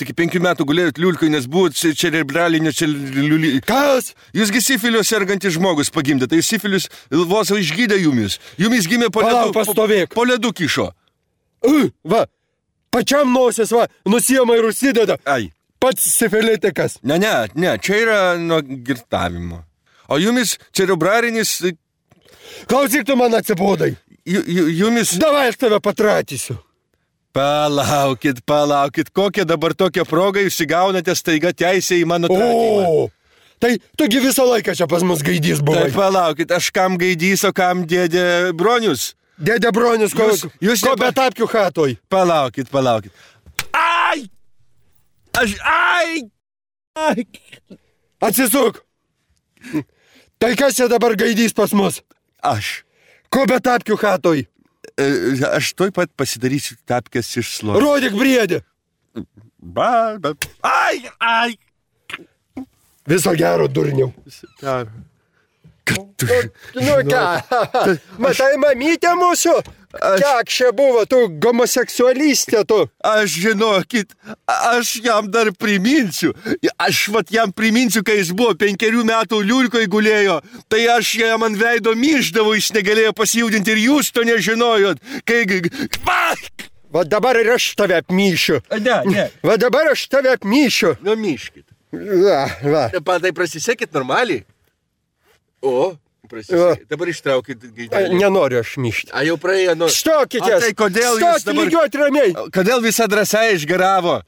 iki 5 metų gulėjot liulkoj, nes buvot cerebralinio Kas? Jūsgi sifilio sergantis žmogus pagimdė, tai sifilis vos išgydė jumis. Jumis gimė po ledu. Palauk, pastovėk. Po ledu kišo. Va, pačiam nosis, va, nusiema ir užsideda. Ai. Pats sifilitikas. Ne, čia yra nuo girtavimo. O jumis cerebrarinis... Klausyk, tu man atsibodai. Jumis... Davai, aš tave patratysiu. Palaukit, kokią dabar tokią progą jūs įgaunate staiga teisę į mano tratymą. O, tai tugi visą laiką čia pas mus gaidys buvo. Tai palaukit, aš kam gaidys, o kam dėdė Bronius? Dėdė Bronius, ko be tapkių hatoj. Palaukit. Ai! Ai! Atsisuk. Tai kas čia dabar gaidys pas mus? Aš. Ko be tapkių hatoj? Aš toj pat pasidarysiu tapkės iš slovo. Rodyk briedį. Ai! Viso gero, durniau. Nu ką, matai mamytė mūsų? Kiek čia buvo, tu homoseksualistė, tu? Aš žinokit, aš jam dar priminsiu. Aš jam priminsiu, kai jis buvo 5 metų liulkoj gulėjo, tai aš jam ant veido myždavau, jis negalėjo pasijudinti ir jūs to nežinojot. Va dabar ir aš tave apmyšiu. Ne. Va dabar aš tave apmyšiu. Nu, myškit. Va. Tai prasisekit normaliai. O, prasisekit. Dabar ištraukit gaidelį. Nenoriu aš myšti. Jau praėjo. Stokitės. Tai kodėl jūs dabar... lygiuot ramiai. Kodėl visa drąsa išgaravo?